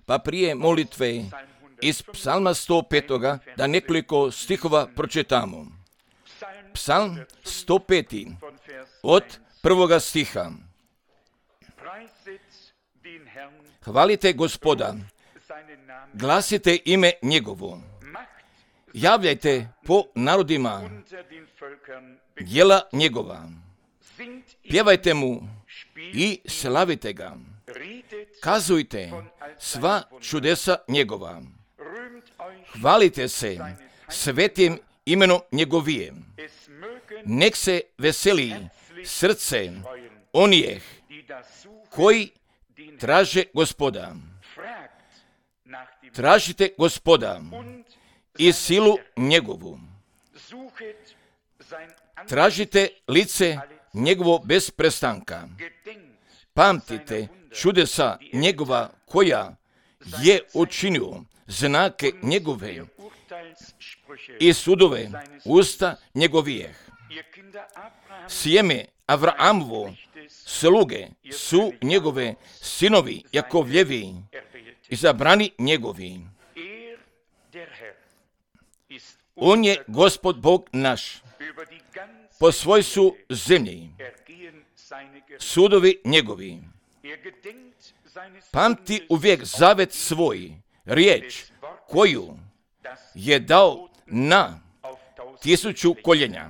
Pa prije molitve iz psalma 105. da nekoliko stihova pročitamo. Psalm 105. od 1. stiha. Hvalite Gospoda, glasite ime njegovo, javljajte po narodima djela njegova, pjevajte mu i slavite ga, kazujte sva čudesa njegova, hvalite se svetim imenom njegovije, nek se veseli srce onih koji traže Gospoda. Tražite Gospoda i silu njegovu. Tražite lice njegovo bez prestanka. Pamtite čudesa njegova koja je učinio, znake njegove i sudove usta njegovijeh. Sjeme Avrahamovo sluge su njegove sinovi Jakovljevi, izabrani njegovi. On je Gospod Bog naš, po svoj su zemlji, sudovi njegovi. Pamti uvijek zavet svoj, riječ koju je dao na 1000 koljenja,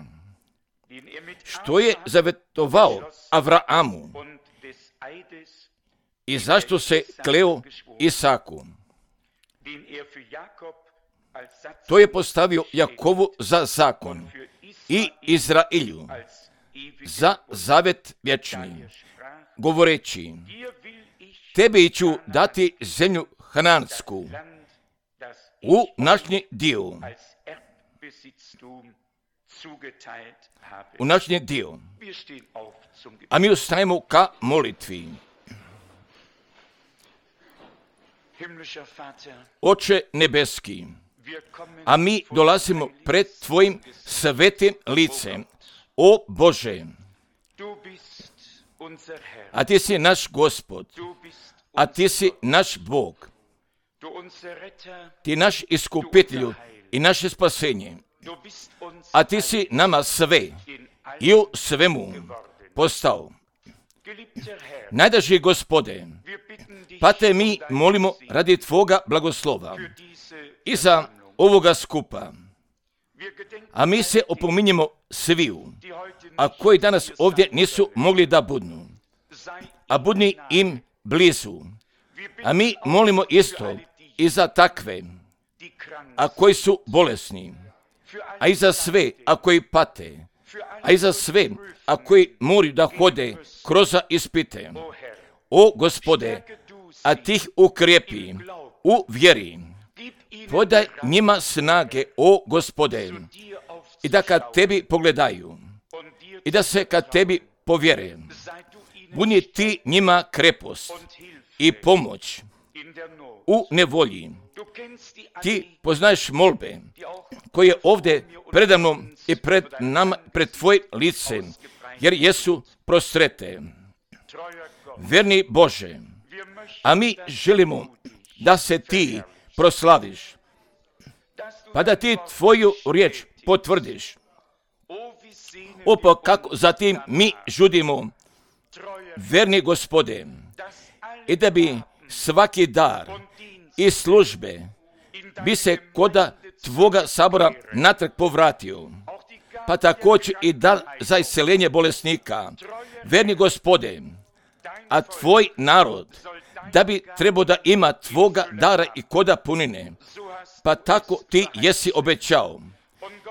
što je zavetovao Avrahamu i zašto se kleo Isaku. To je postavio Jakovu za zakon i Izraelju za zavet vječni, govoreći, tebi ću dati zemlju Hanansku u našnji dio. U našnji dio. A mi ustajemo ka molitvi. Oče nebeski, a mi dolazimo pred tvojim svetim licem. O Bože, a ti si naš Gospod, a ti si naš Bog, ti naš iskupitelju i naše spasenje, a ti si nama sve i u svemu postao. Najdraži Gospode, pa te mi molimo radi tvoga blagoslova i za ovoga skupa. A mi se opominjemo sviju, a koji danas ovdje nisu mogli da budnu, a budni im blizu. A mi molimo isto i za takve, a koji su bolesni, a i za sve, a koji pate, a i za sve, a koji moraju da hode kroz ispite. O Gospode, a ti ih ukrijepi u vjeri. Podaj njima snage, o Gospode, i da kad tebi pogledaju, i da se kad tebi povjere, budi ti njima krepost i pomoć u nevolji. Ti poznaješ molbe koje ovdje predamno i pred nama, pred tvoj lice, jer jesu prostrete. Verni Bože, a mi želimo da se ti proslaviš, pa da ti tvoju riječ potvrdiš. Opa kako zatim mi žudimo, verni Gospode, i da bi svaki dar i službe bi se koda tvoga sabora natrag povratio, pa također i dar za isceljenje bolesnika. Verni Gospode, a tvoj narod da bi trebao da ima tvoga dara i koda punine, pa tako ti jesi obećao,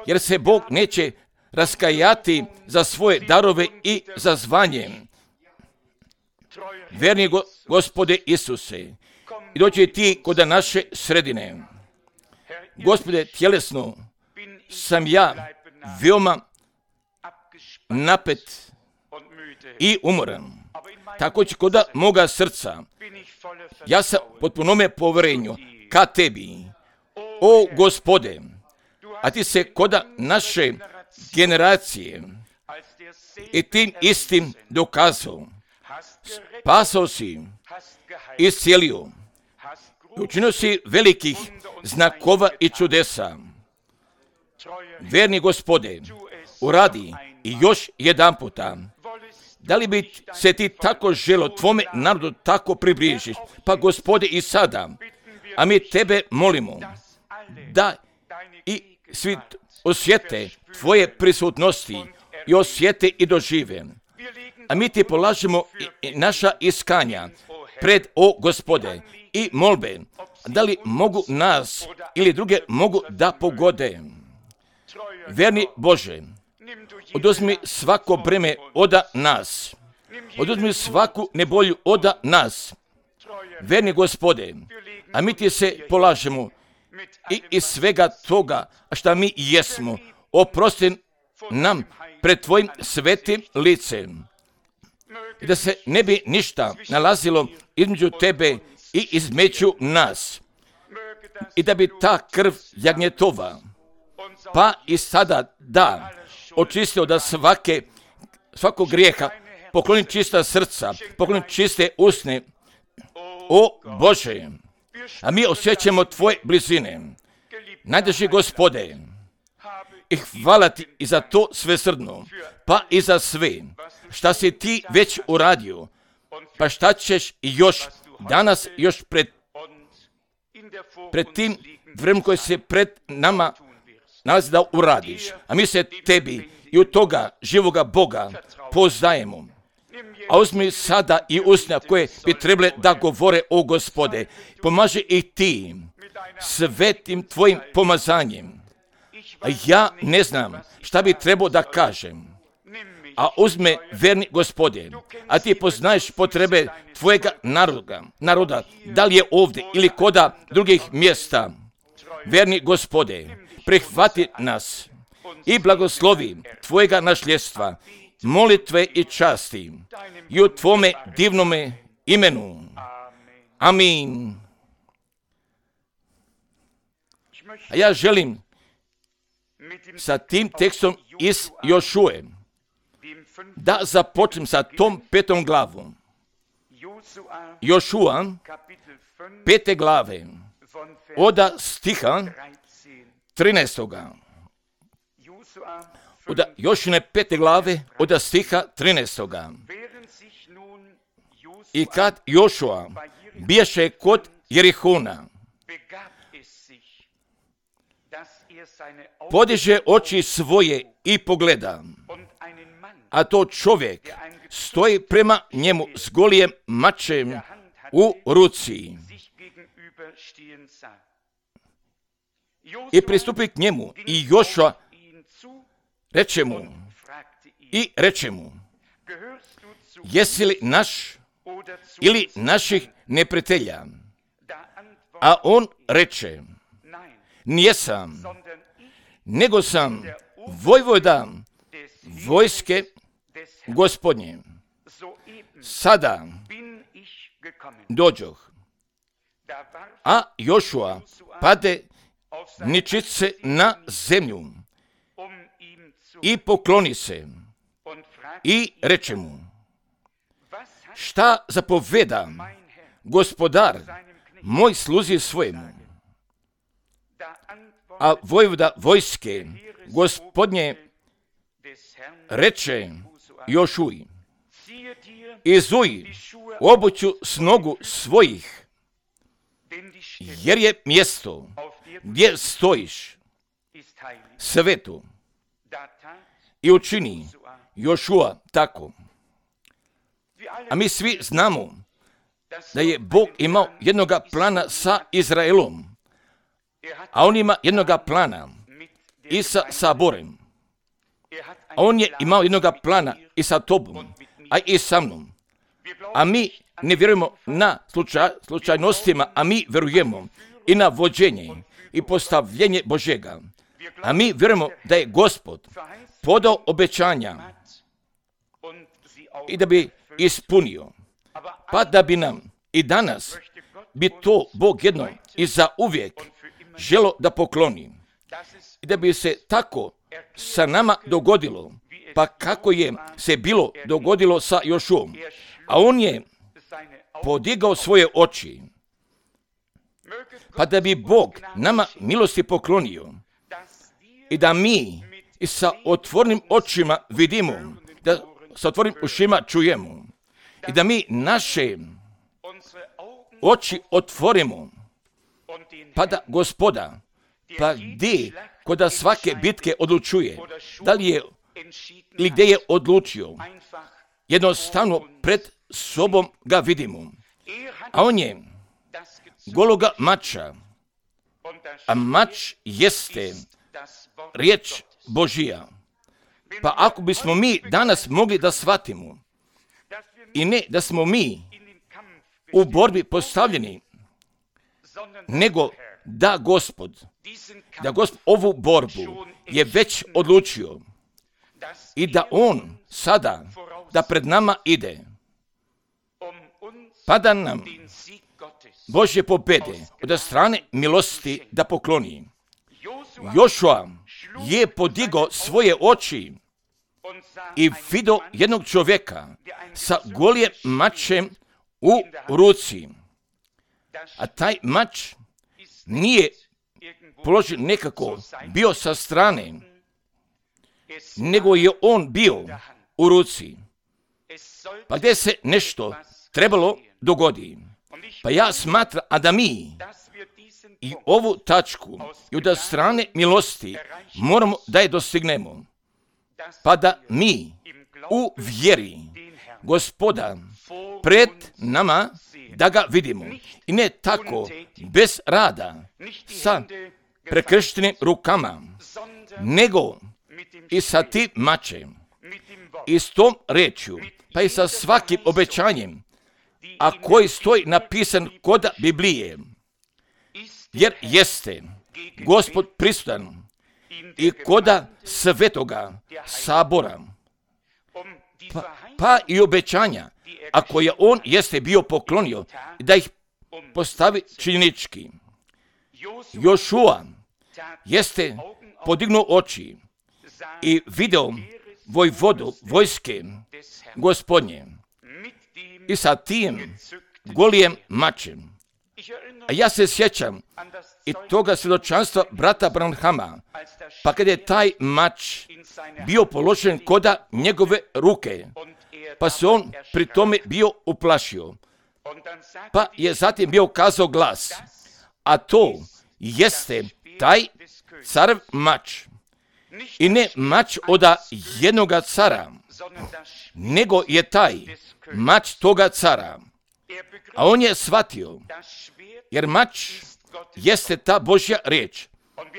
jer se Bog neće raskajati za svoje darove i za zvanje. Verni Gospode Isuse, i dođi ti kod naše sredine. Gospode, tjelesno sam ja veoma napet i umoran. Također kod moga srca, ja sam potpunome povjerenju ka tebi. O Gospode, a ti se kod naše generacije i tim istim dokazao. Spasao si iscijelio. Učinio si velikih znakova i čudesa. Verni Gospode, uradi i još jedan puta. Da li bi se ti tako želo tvome narodu tako približiš? Pa Gospode i sada, a mi tebe molimo da i svi osjete tvoje prisutnosti i osjete i dožive. A mi ti polažemo i naša iskanja pred, o Gospode, i molbe, da li mogu nas ili druge mogu da pogode. Verni Bože, oduzmi svako breme oda nas. Oduzmi svaku nebolju oda nas. Verni Gospode, a mi ti se polažemo i iz svega toga što mi jesmo. Oprosti nam pred tvojim svetim licem. I da se ne bi ništa nalazilo između tebe i između nas. I da bi ta krv jagnjetova, pa i sada da, očistio da svakog grijeha, pokloni čista srca, pokloni čiste usne. O Bože, a mi osjećamo tvoje blizine. Najdraži Gospode, i hvala ti i za to svesrdno, pa i za sve šta si ti već uradio, pa šta ćeš još danas, još pred tim vremenom koje se pred nama nalazi da uradiš. A mi se tebi i od toga živoga Boga poznajemo. A uzmi sada i usna koje bi trebale da govore o Gospode. Pomaži ih ti svetim tvojim pomazanjem. A ja ne znam šta bi trebao da kažem. A uzme, verni Gospode, a ti poznaješ potrebe tvojega naroda, da li je ovdje ili koda drugih mjesta. Verni Gospode, prihvati nas i blagoslovi tvojega našljestva, molitve i časti i u tvome divnome imenu. Amin. A ja želim sa tim tekstom iz Jošue da započnem sa tom 5. glavom. Jošua, 5. glave, od stiha 13. Od Jošine 5. glave, od stiha 13. I kad Jošua biješe kod Jerihona, podiže oči svoje i pogleda, a to čovjek stoji prema njemu s golijem mačem u ruci. I pristupi k njemu i Jošua reče mu, jesi li naš ili naših neprijatelja? A on reče, nijesam, nego sam vojvoda vojske Gospodnje. Sada dođoh. A Jošua pade ničice na zemlju i pokloni se i reče mu, šta zapoveda gospodar moj sluzi svojemu? A vojvoda vojske Gospodnje reče Jošuji, izuj obuću s nogu svojih, jer je mjesto gdje stojiš sveto. I učini Jošua tako. A mi svi znamo da je Bog imao jednoga plana sa Izraelom, a on ima jednoga plana i sa Saborem. A on je imao jednoga plana i sa tobom, a i sa mnom. A mi ne vjerujemo na slučajnostima, a mi vjerujemo i na vođenje i postavljenje Božega. A mi vjerujemo da je Gospod podao obećanja i da bi ispunio. Pa da bi nam i danas bi to Bog jednom i za uvijek želo da pokloni. I da bi se tako sa nama dogodilo, pa kako je se bilo dogodilo sa Jošuom. A on je podigao svoje oči, pa da bi Bog nama milosti poklonio i da mi i sa otvorenim očima vidimo, da sa otvorenim ušima čujemo i da mi naše oči otvorimo, pa da Gospoda, pa gdje kod svake bitke odlučuje, da li je ili gdje je odlučio, jednostavno pred sobom ga vidimo. A on je gologa mača, a mač jeste riječ Božija. Pa ako bismo mi danas mogli da shvatimo i ne da smo mi u borbi postavljeni, nego da Gospod ovu borbu je već odlučio i da on sada da pred nama ide, pa da nam Božje pobjede od strane milosti da pokloni. Jošua je podigao svoje oči i vidio jednog čovjeka sa golijim mačem u ruci. A taj mač nije položen nekako bio sa strane, nego je on bio u ruci. Pa gdje se nešto trebalo dogoditi. Pa ja smatram, a da mi i ovu tačku i od strane milosti moramo da je dostignemo. Pa da mi u vjeri Gospoda pred nama da ga vidimo. I ne tako bez rada sa prekrštenim rukama, nego i sa tim mačem i s tom rečju, pa i sa svakim obećanjem, a koji stoji napisan kod Biblije, jer jeste Gospod prisutan i kod svetoga sabora, pa i obećanja, a koje on jeste bio poklonio, da ih postavi činjenički. Jošua jeste podignuo oči i video vojvodu vojske Gospodnje i sa tim golijem mačem. A ja se sjećam i toga svjedočanstva brata Branhama, pa kad je taj mač bio položen kod njegove ruke, pa se on pri tome bio uplašio, pa je zatim bio kazao glas, a to jeste taj carev mač. I ne mač od jednoga cara, nego je taj mač toga cara. A on je shvatio, jer mač jeste ta Božja riječ.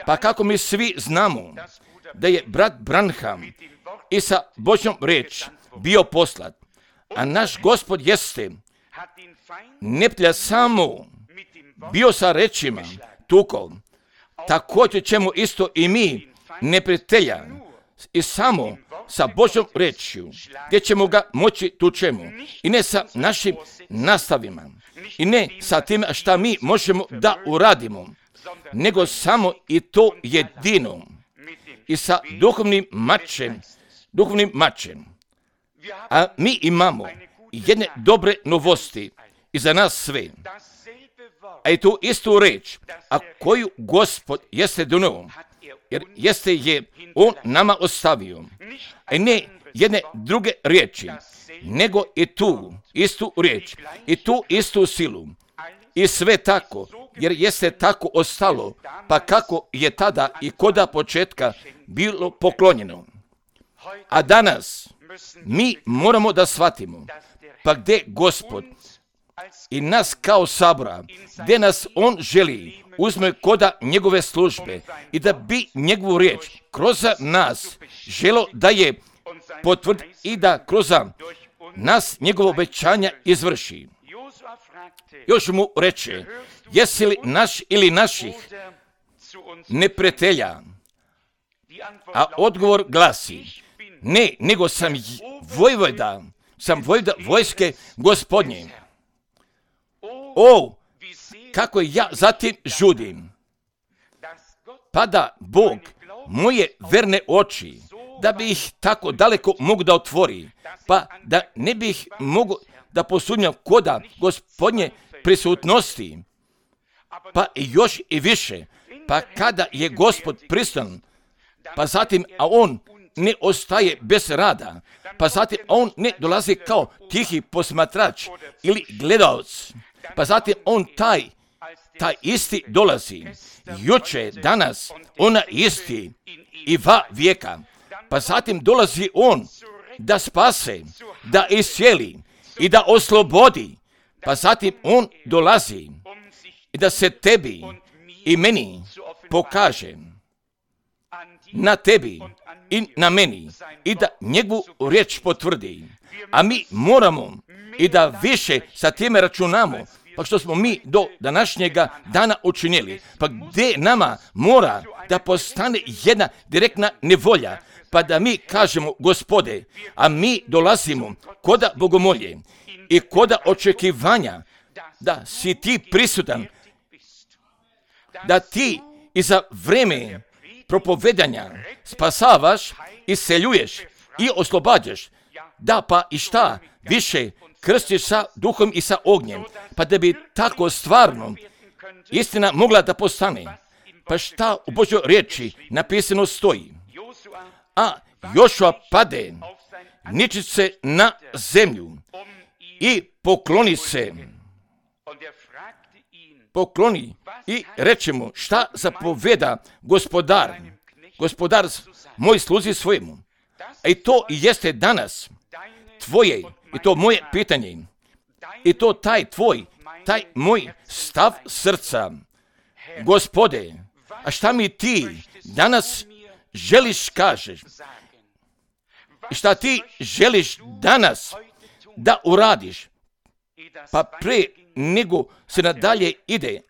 Pa kako mi svi znamo da je brat Branham i sa Božjom riječ bio poslat, a naš Gospod jeste neprijatelja samo bio sa rečima tukao, također ćemo isto i mi neprijatelja i samo sa Božjom rečju, gdje ćemo ga moći tučemo. I ne sa našim nastavima, i ne sa tim šta mi možemo da uradimo, nego samo i to jedino i sa duhovnim mačem. A mi imamo jedne dobre novosti i za nas sve. A i tu istu reč, a koju Gospod jeste donio, jer jeste je on nama ostavio, a ne jedne druge riječi, nego i tu istu riječ, i tu istu silu, i sve tako, jer jeste tako ostalo, pa kako je tada i koda početka bilo poklonjeno. A danas mi moramo da shvatimo, pa gdje Gospod i nas kao sabora, gdje nas on želi uzme koda njegove službe i da bi njegovu riječ kroz nas želo da je potvrdi i da kroz nas njegovo obećanja izvrši. Još mu reče, jesi li naš ili naših neprijatelja? A odgovor glasi, ne, nego sam vojvoda vojske Gospodnje. O, kako ja zatim žudim. Pa da Bog moje verne oči, da bi ih tako daleko mogu da otvori, pa da ne bih mogu da posumnjam koda Gospodnje prisutnosti, pa i još i više, pa kada je Gospod prisutan, pa zatim, a on ne ostaje bez rada, pa zatim on ne dolazi kao tihi posmatrač ili gledalac, pa zatim on taj isti dolazi, juče, danas, ona isti i va vijeka, pa zatim dolazi on da spase, da iscijeli i da oslobodi, pa zatim on dolazi i da se tebi i meni pokaže, na tebi i na meni, i da njegovu riječ potvrdi. A mi moramo i da više sa time računamo, pa što smo mi do današnjega dana učinili, pa gdje nama mora da postane jedna direktna nevolja, pa da mi kažemo, Gospode, a mi dolazimo koda bogomolje i koda očekivanja da si ti prisutan, da ti i za vreme propovedanja spasavaš, isceljuješ i oslobađaš, da pa i šta više krstiš sa duhom i sa ognjem, pa da bi tako stvarno istina mogla da postane. Pa šta u Božjoj riječi napisano stoji? A Jošua pade, niči se na zemlju i pokloni i reče mu, šta zapoveda gospodar moj sluzi svojemu. I to i jeste danas tvoje i to moje pitanje i to taj moj stav srca. Gospode, a šta mi ti danas želiš kažeš? I šta ti želiš danas da uradiš? Pa pre nego se nadalje ide,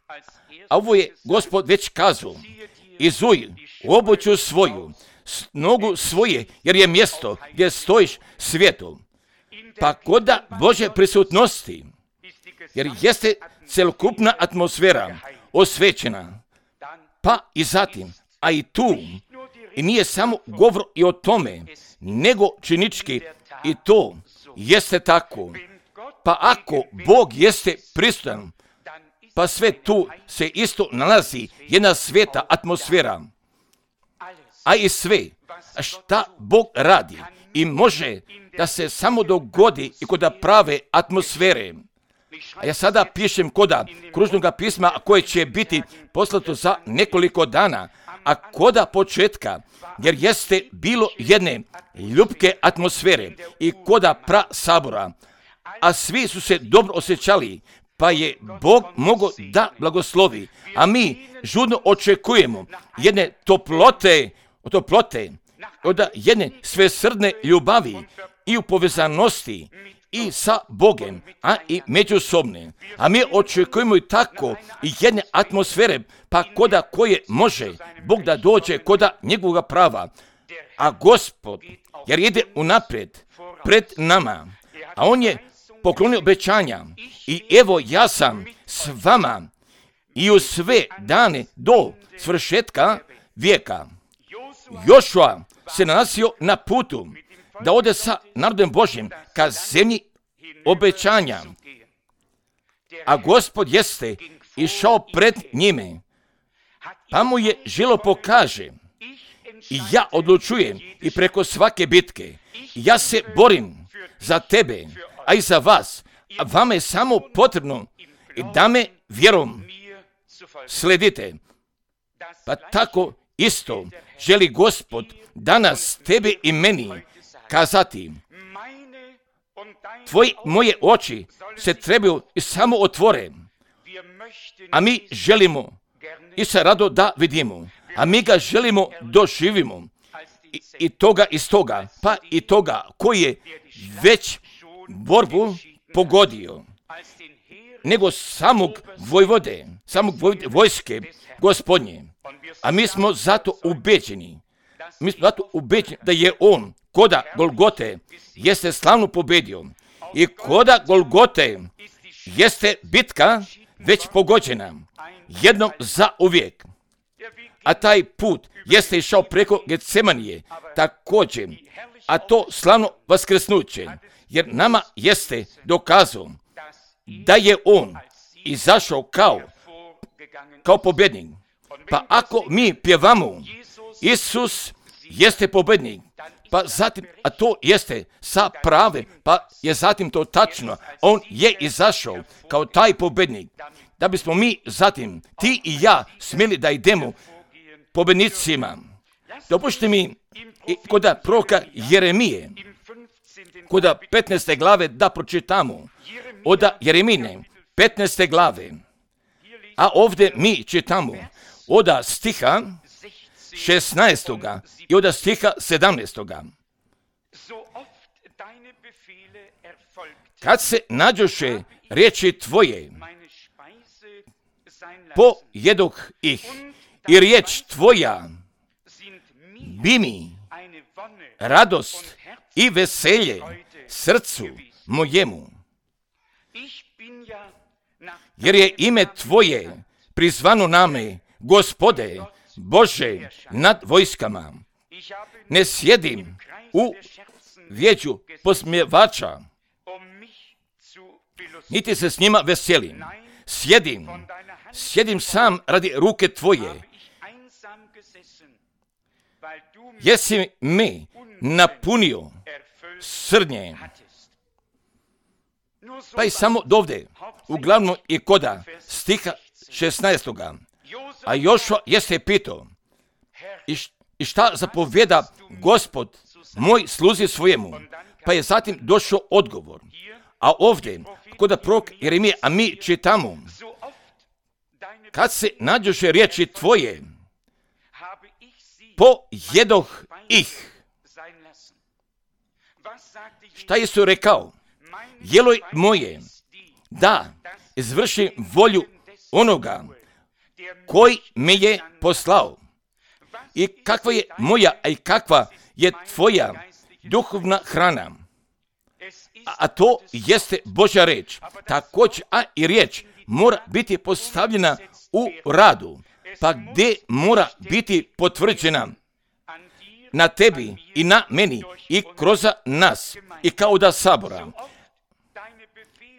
a ovo je Gospod već kazao, izuj obuću svoju, nogu svoje, jer je mjesto gdje stojiš svijetu. Pa koda Božje prisutnosti, jer jeste celokupna atmosfera osvećena, pa i zatim, a i tu, i nije samo govor i o tome, nego činički i to jeste tako. Pa ako Bog jeste prisutan, pa sve tu se isto nalazi jedna sveta atmosfera, a i sve šta Bog radi i može da se samo dogodi i kod prave atmosfere. A ja sada pišem koda kružnog pisma koje će biti poslato za nekoliko dana, a koda početka, jer jeste bilo jedne ljubke atmosfere i koda pra sabora, a svi su se dobro osjećali, pa je Bog mogao da blagoslovi, a mi žudno očekujemo jedne toplote, od jedne svesrdne ljubavi i u povezanosti i sa Bogem, a i međusobne. A mi očekujemo i tako i jedne atmosfere, pa koda koje može Bog da dođe koda njegovog prava. A Gospod, jer ide unaprijed pred nama, a on je poklonio obećanja i evo ja sam s vama i u sve dane do svršetka vijeka. Jošua se nalazio na putu da ode sa narodom Božjim ka zemlji obećanja, a Gospod jeste išao pred njime, pa mu je želo pokaže i ja odlučujem i preko svake bitke, ja se borim za tebe, a i za vas, a vama je samo potrebno i da me vjerom sledite. Pa tako isto želi Gospod danas tebe i meni kazati, moje oči se trebaju i samo otvore, a mi želimo i se rado da vidimo, a mi ga želimo doživimo i toga iz toga, pa i toga koji je već borbu pogodio, nego samog vojske Gospodnje. A mi smo zato ubeđeni da je on koda Golgote jeste slavno pobedio i koda Golgote jeste bitka već pogođena jednom za uvijek. A taj put jeste išao preko Getsemanije također, a to slavno vaskrsnuće jer nama jeste dokazao da je on izašao kao pobjednik. Pa ako mi pjevamo Isus jeste pobjednik, pa zatim, a to jeste sa pravim, pa je zatim to tačno, on je izašao kao taj pobjednik, da bismo mi zatim, ti i ja, smjeli da idemo pobjednicima. Dopušte mi kod proroka Jeremije, kod 15. glave da pročitamo, od Jeremine 15. glave, a ovdje mi čitamo od stiha 16. i od stiha 17. Kad se nađoše riječi tvoje, pojedoh ih, i riječ tvoja bi mi radost i veselje srcu mojemu. Jer je ime tvoje prizvano name, Gospode, Bože nad vojskama. Ne sjedim u vijeću posmjevača, niti se s njima veselim. Sjedim sam radi ruke tvoje. Jesi me napunio srnje. Pa i samo dovde, uglavnom i koda stiha 16. A Jošua jeste pitao, i šta zapovjeda Gospod moj sluzi svojemu? Pa je zatim došao odgovor. A ovdje, kod prorok Jeremije, a mi čitamo, kad se nađoše riječi tvoje, pojedoh ih. Šta je su rekao? Jelo moje, da izvršim volju onoga koji me je poslao. I kakva je moja, a i kakva je tvoja duhovna hrana. A to jeste Božja reč. Također, a i riječ mora biti postavljena u radu, pa gdje mora biti potvrđena na tebi i na meni i kroz nas i kao da sabora.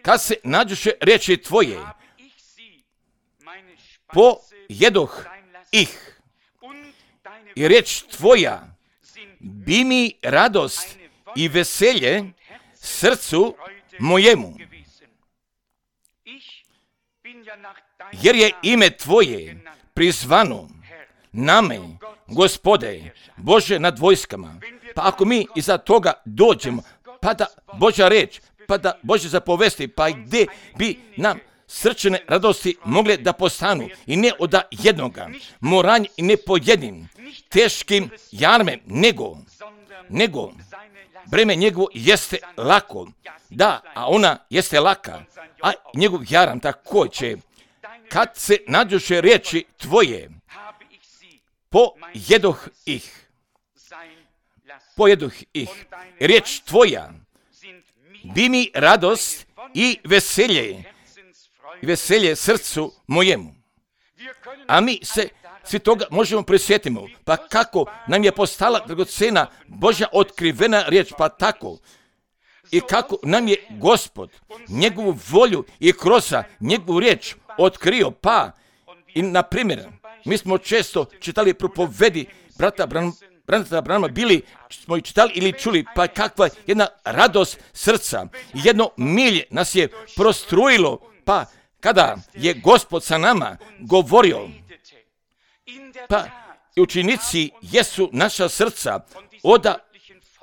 Kad se nađoše riječi tvoje, pojedoh ih, i riječ tvoja bi mi radost i veselje srcu mojemu. Jer je ime tvoje prizvano name, Gospode, Bože nad vojskama. Pa ako mi iza toga dođemo, pa da Božja reč, pa da Božje zapovesti, pa gdje bi nam srčane radosti mogle da postanu, i ne od jednoga, moranje i ne po jednim teškim jarmem, nego breme njegovo jeste lako, da, a ona jeste laka, a njegov jaram također. Kad se nađoše riječi tvoje, pojedoh ih. Riječ tvoja bi mi radost i veselje srcu mojemu. A mi se svi toga možemo prisjetimo. Pa kako nam je postala dragocena Božja otkrivena riječ, pa tako. I kako nam je Gospod njegovu volju i kroz njegovu riječ otkrio, pa i na primjer, mi smo često čitali propovedi brata Branama, bili smo i čitali ili čuli, pa kakva jedna radost srca, jedno milje nas je prostrujilo, pa kada je Gospod sa nama govorio, pa i učenici jesu naša srca od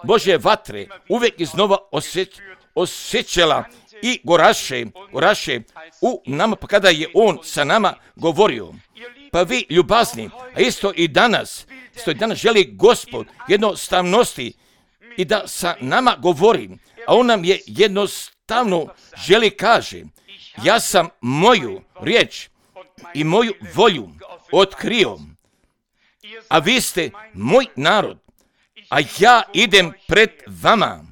Božje vatre uvijek iznova osjećala i goraše u nama, pa kada je on sa nama govorio. Pa vi ljubazni, a isto i danas želi Gospod jednostavnosti i da sa nama govori, a on nam je jednostavno želi kaže, ja sam moju riječ i moju volju otkrio, a vi ste moj narod, a ja idem pred vama.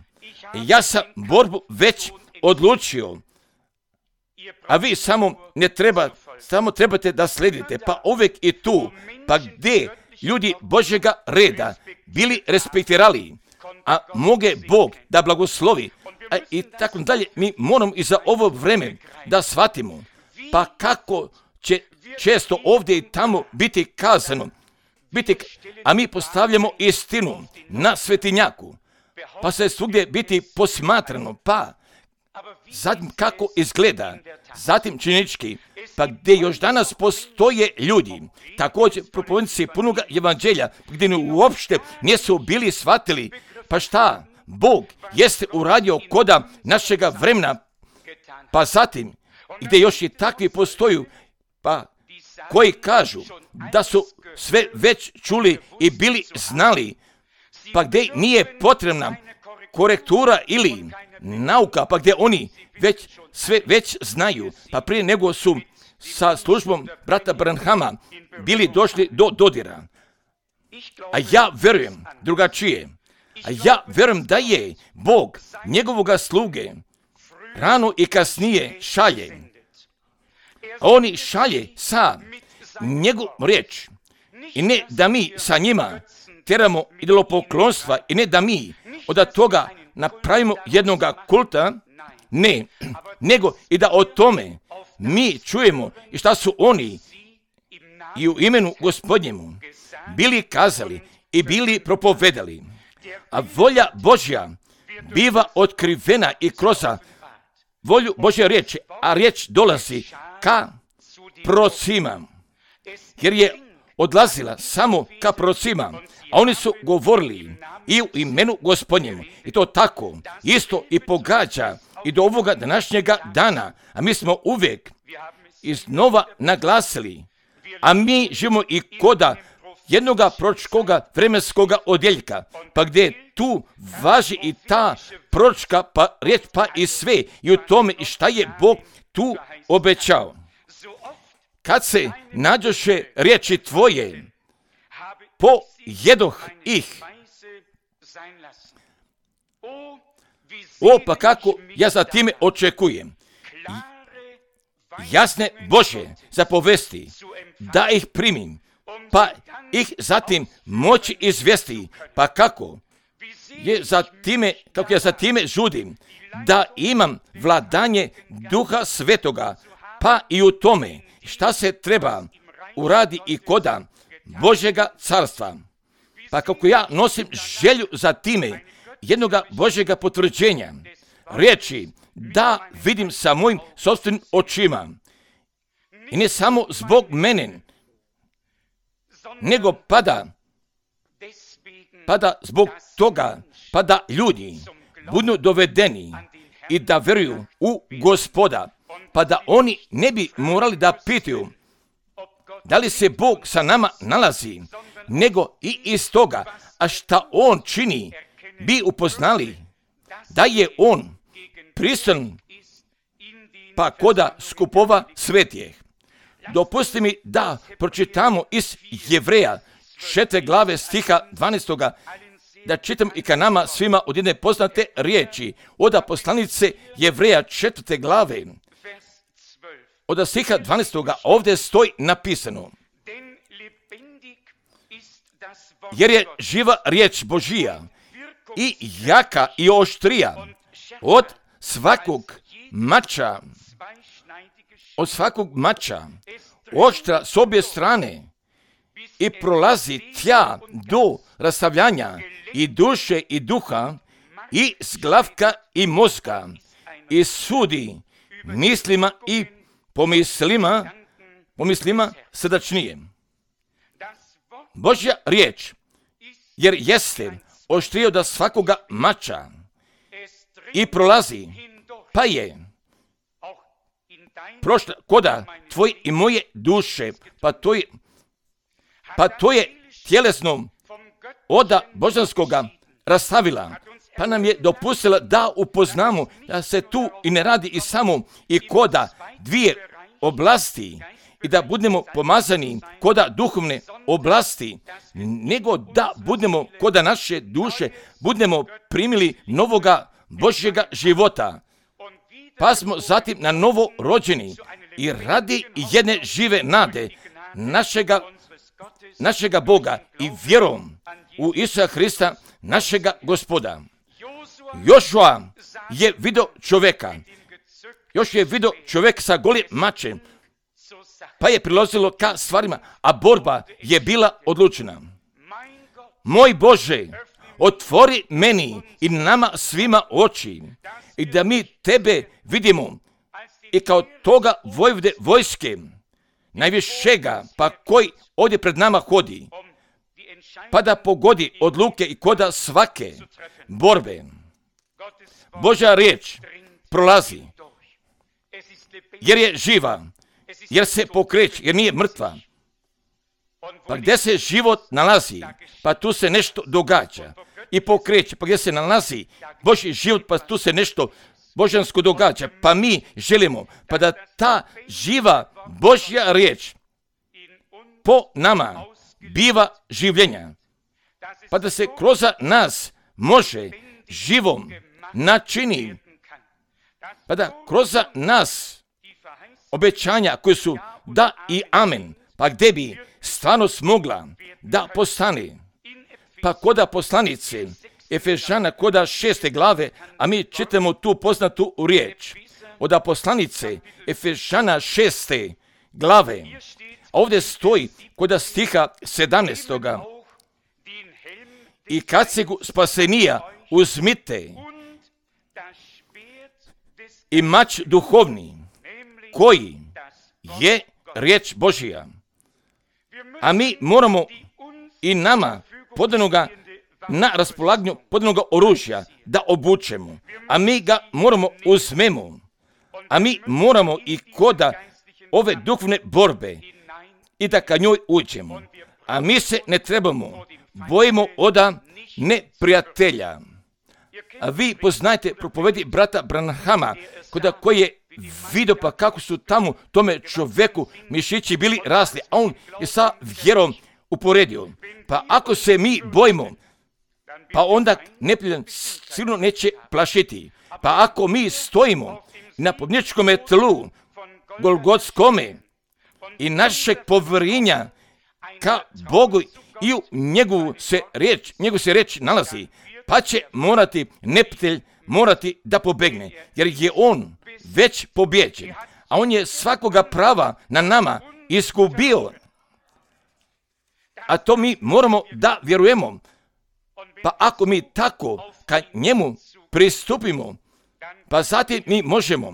Ja sam borbu već odlučio, a vi samo trebate da sledite, pa uvijek i tu, pa gdje ljudi Božjega reda bili respektirali, a moge Bog da blagoslovi, i tako dalje. Mi moramo i za ovo vreme da shvatimo, pa kako će često ovdje i tamo biti kazano, a mi postavljamo istinu na svetinjaku, pa se svugdje biti posmatrano, pa zatim kako izgleda, zatim činjenički, pa gdje još danas postoje ljudi, također propovjednici punoga evanđelja, gdje uopšte nisu bili shvatili, pa šta Bog jeste uradio koda našega vremena, pa zatim gdje još i takvi postoju, pa koji kažu da su sve već čuli i bili znali, pa gdje nije potrebna korektura ili nauka, pa gdje oni sve već znaju, pa prije nego su sa službom brata Branhama bili došli do dodira. A ja verujem drugačije. A ja verujem da je Bog njegovoga sluge rano i kasnije šalje. Oni šalje sa njegovom riječ. I ne da mi sa njima teramo idolopoklonstva i ne da mi od toga napravimo jednoga kulta, ne, nego i da o tome mi čujemo i šta su oni i u imenu Gospodnjemu bili kazali i bili propovedali. A volja Božja biva otkrivena i kroz volju Božje riječi, a riječ dolazi ka prorocima, jer je odlazila samo ka prorocima, a oni su govorili i u imenu Gospodnjemu. I to tako isto i pogađa i do ovoga današnjega dana, a mi smo uvijek iznova naglasili, a mi živimo i koda jednoga proročkoga vremenskoga odjeljka, pa gdje tu važi i ta proročka pa riječ pa i sve i u tome i šta je Bog tu obećao. Kad se nađoše riječi tvoje, pojedoh ih. O, pa kako ja za time očekujem jasne Božje zapovesti, da ih primim, pa ih zatim moći izvesti, pa kako ja za time žudim, da imam vladanje Duha Svetoga, pa i u tome šta se treba uradi i koda Božjega carstva. Pa kako ja nosim želju za time jednoga Božjega potvrđenja, riječi da vidim sa mojim sopstvenim očima. I ne samo zbog mene, nego pada zbog toga, pa da ljudi budu dovedeni i da vjeruju u Gospoda, pa da oni ne bi morali da pitaju da li se Bog sa nama nalazi, nego i iz toga, a šta On čini, bi upoznali da je On prisutan pa koda skupova svetijeh. Dopusti mi da pročitamo iz Jevreja 4. glave stiha 12. da čitam i ka nama svima od jedne poznate riječi od poslanice Jevreja 4. glave od stiha 12. ovdje stoji napisano: jer je živa riječ Božija i jaka i oštrija od svakog mača, oštra s obje strane i prolazi tja do rastavljanja i duše i duha i zglavka i mozga i sudi mislima i pomislima srdačnije. Božja riječ, jer jeste oštrija od svakoga mača i prolazi, pa je prošla koda tvoje i moje duše, pa to je tjelesno oda božanskoga rastavila, pa nam je dopustila da upoznamo da se tu i ne radi i samo i koda dvije oblasti i da budemo pomazani koda duhovne oblasti, nego da budemo koda naše duše, budemo primili novoga Božjega života, pa smo zatim na novo rođeni i radi jedne žive nade našega Boga i vjerom u Isusa Hrista, našega Gospoda. Jošua je vidio čovjeka. Još je vidio čovjek sa golim mačem, pa je prilazilo ka stvarima, a borba je bila odlučena. Moj Bože, otvori meni i nama svima oči i da mi tebe vidimo i kao toga vojvode vojske, najvišega, pa koji ovdje pred nama hodi, pa da pogodi odluke i koda svake borbe. Božja riječ prolazi, jer je živa, jer se pokreće, jer nije mrtva. Pa gdje se život nalazi, pa tu se nešto događa i pokreće. Pa gdje se nalazi Božji život, pa tu se nešto božansko događa. Pa mi želimo pa da ta živa Božja riječ po nama biva življenja. Pa da se kroz nas može živom načini. Pa da kroz nas obećanja koje su da i amen, pa gdje bi stvarno smogla da postane. Pa koda poslanice Efežana koda 6. glave, a mi čitamo tu poznatu riječ. Od poslanice Efežana 6. glave, a ovdje stoji koda stiha 17. I kacegu spasenija uzmite i mač duhovni, koji je riječ Božija. A mi moramo i nama podanoga na raspolaganju podanoga oružja da obučemo. A mi ga moramo uzmemo. A mi moramo i koda ove duhovne borbe i da ka njoj uđemo. A mi se ne trebamo bojimo oda neprijatelja. A vi poznajte propovedi brata Branhama, koji je vidio pa kako su tamo tome čovjeku mišići bili rasli, a on je sa vjerom uporedio. Pa ako se mi bojimo, pa onda neprijatelj sigurno neće plašiti. Pa ako mi stojimo na pobjedničkom tlu Golgotskome i našeg povjerenja ka Bogu i u njegu se riječ nalazi, pa će morati neprijatelj da pobegne, jer je on već pobjeđen, a on je svakoga prava na nama izgubio. A to mi moramo da vjerujemo. Pa ako mi tako ka njemu pristupimo, pa zatim mi možemo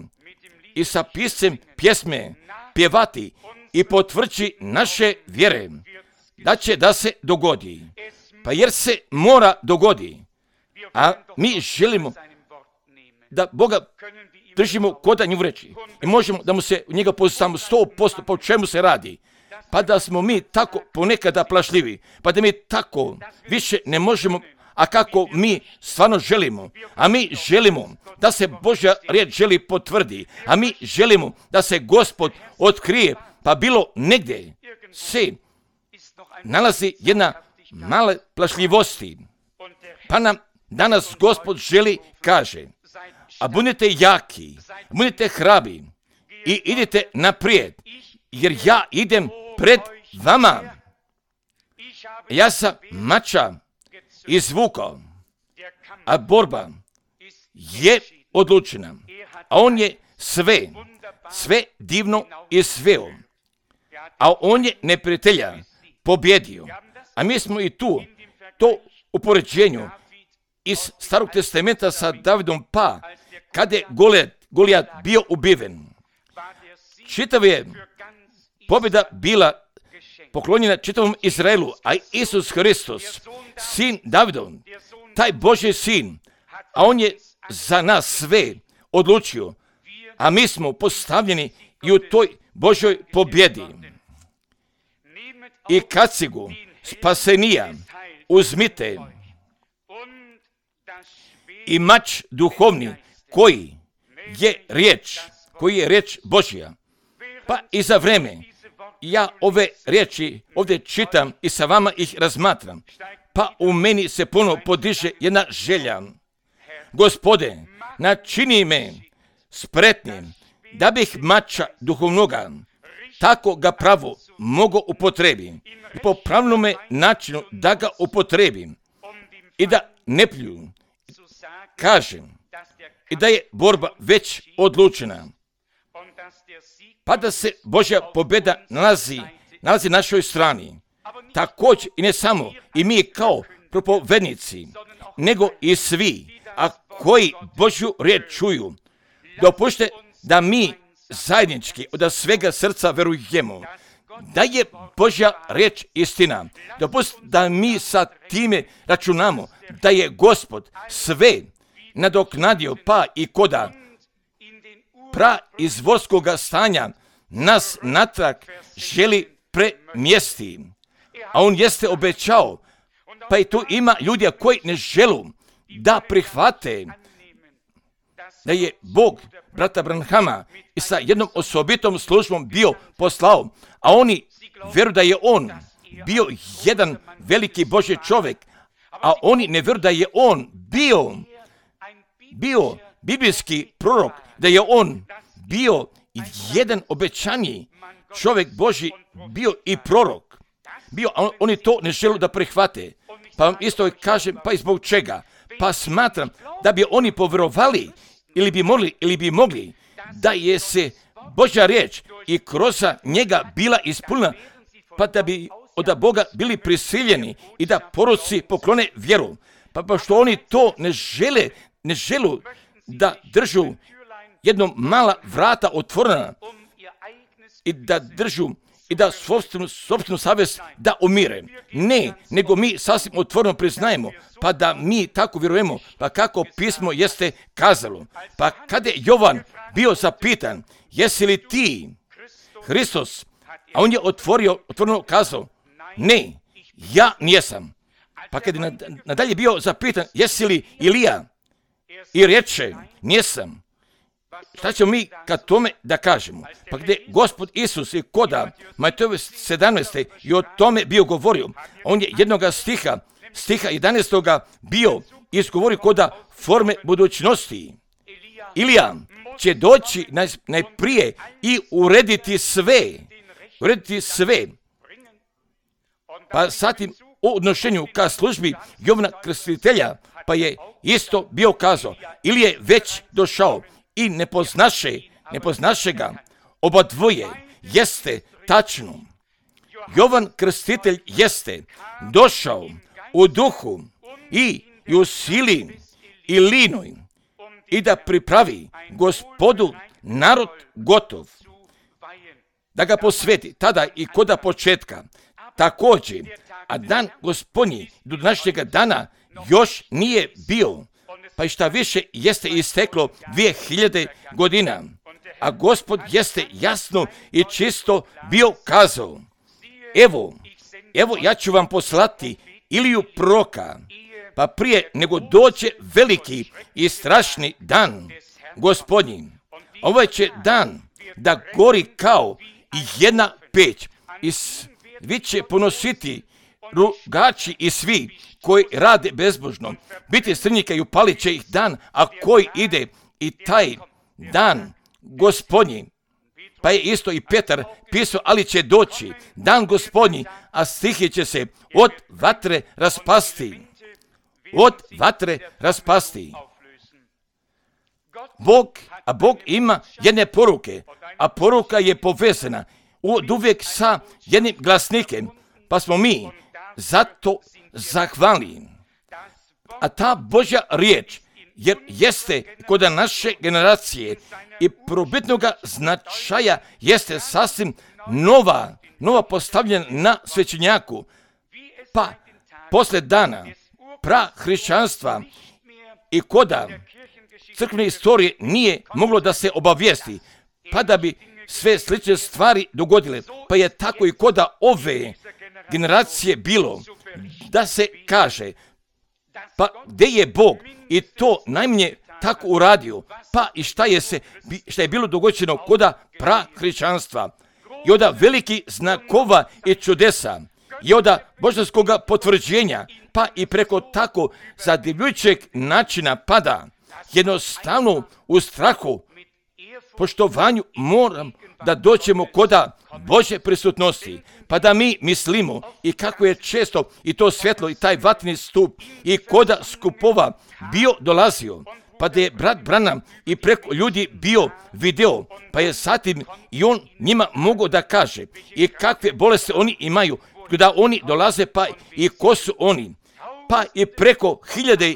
i sa piscem pjesme pjevati i potvrđi naše vjere da će da se dogodi. Pa jer se mora dogodi. A mi želimo da Boga držimo koda nju reći. I možemo da mu se njega poznamo 100% po čemu se radi. Pa da smo mi tako ponekada plašljivi. Pa da mi tako više ne možemo, a kako mi stvarno želimo. A mi želimo da se Božja riječ želi potvrdi. A mi želimo da se Gospod otkrije. Pa bilo negdje se nalazi jedna mala plašljivosti. Pa nam danas Gospod želi, kaže, a budite jaki, budite hrabri i idite naprijed, jer ja idem pred vama. Ja sam mača izvukao, a borba je odlučena, a on je sve divno izveo, a on je neprijatelja pobjedio. A mi smo i tu, to u poređenju iz Starog testamenta sa Davidom, pa kada je Golijat bio ubiven, čitav je pobjeda bila poklonjena čitavom Izraelu, a Isus Hristos, sin Davidov, taj Božji sin, a on je za nas sve odlučio, a mi smo postavljeni i u toj Božoj pobjedi. I kacigu spasenija uzmite i mač duhovni, koji je riječ Božja. Pa i za vreme ja ove riječi ovdje čitam i sa vama ih razmatram, pa u meni se ponovo podiže jedna želja. Gospode, načini me spretnim, da bih mača duhovnoga tako ga pravo mogu upotrebiti i po pravilnome načinu da ga upotrebim i da ne pljuju kažem i da je borba već odlučena, pa da se Božja pobjeda nalazi našoj strani. Također i ne samo i mi kao propovednici, nego i svi, a koji Božju riječ čuju. Dopušte da mi zajednički od svega srca verujemo da je Božja riječ istina. Dopustite da mi sa time računamo da je Gospod sve nadoknadio, pa i koda praizvorskoga stanja nas natrag želi premjesti. A on jeste obećao, pa i tu ima ljudi koji ne želu da prihvate da je Bog brata Branhama i sa jednom osobitom službom bio poslao, a oni vjeruju da je on bio jedan veliki Božji čovjek, a oni ne vjeruju da je on bio biblijski prorok, da je on bio jedan obećani čovjek Božji, bio i prorok. Oni to ne žele da prihvate. Pa vam isto kažem, pa i zbog čega? Pa smatram da bi oni povjerovali ili bi mogli da je se Božja riječ i kroz njega bila ispunjena, pa da bi od Boga bili prisiljeni i da proroci poklone vjeru. Pa pošto oni to ne želu da držu jednom mala vrata otvorena i da držu i da sopstvenu savjest da umire. Ne, nego mi sasvim otvoreno priznajemo, pa da mi tako vjerujemo, pa kako pismo jeste kazalo. Pa kada je Jovan bio zapitan, jesi li ti Hristos, a on je otvoreno kazao, ne, ja nijesam. Pa kada je nadalje bio zapitan, jesi li Ilija, i reče, nijesam. Šta ćemo mi kad tome da kažemo? Pa gdje Gospod Isus je koda Matejove 17. i o tome bio govorio, on je jednoga stiha 11. bio izgovorio koda forme budućnosti. Ilija će doći najprije i urediti sve. Pa zatim u odnošenju ka službi Jovana Krstitelja, pa je isto bio kazao, ili je već došao i ne poznaše ga. Oba dvoje jeste tačno. Jovan Krstitelj jeste došao u duhu i u sili i linoj i da pripravi Gospodu narod gotov, da ga posveti tada i koda početka. Također, a dan Gospodnji do današnjega dana još nije bio, pa i šta više jeste isteklo 2000 godina, a Gospod jeste jasno i čisto bio kazao, evo ja ću vam poslati Iliju proroka, pa prije nego dođe veliki i strašni dan Gospodnji. Ovaj će dan da gori kao i jedna peć i svi će ponositi rugači i svi koji rade bezbožno, biti strnjika i upalit će ih dan, a koji ide i taj dan Gospodnji. Pa je isto i Petar pisao, ali će doći dan Gospodnji, a stihi će se od vatre raspasti. Bog ima jedne poruke, a poruka je povezana uvijek sa jednim glasnikem, pa smo mi zato zahvalni. A ta Božja riječ, jer jeste kod naše generacije i probitnoga značaja, jeste sasvim nova postavljena na svećenjaku. Pa posle dana prahrišćanstva i koda crkvene istorije nije moglo da se obavijesti, pa da bi sve slične stvari dogodile. Pa je tako i koda ove generacije bilo da se kaže, pa gdje je Bog i to najmanje tako uradio, pa i šta je bilo dogođeno koda prahrišćanstva i od veliki znakova i čudesa i od božanskog potvrđenja, pa i preko tako zadivljujućeg načina pada, jednostavno u strahu poštovanju moram da dođemo koda Božje prisutnosti, pa da mi mislimo i kako je često i to svjetlo i taj vatni stup i koda skupova bio dolazio, pa da je brat Branham i preko ljudi bio video, pa je zatim i on njima mogao da kaže i kakve bolesti oni imaju, da oni dolaze, pa i ko su oni, pa i preko hiljade,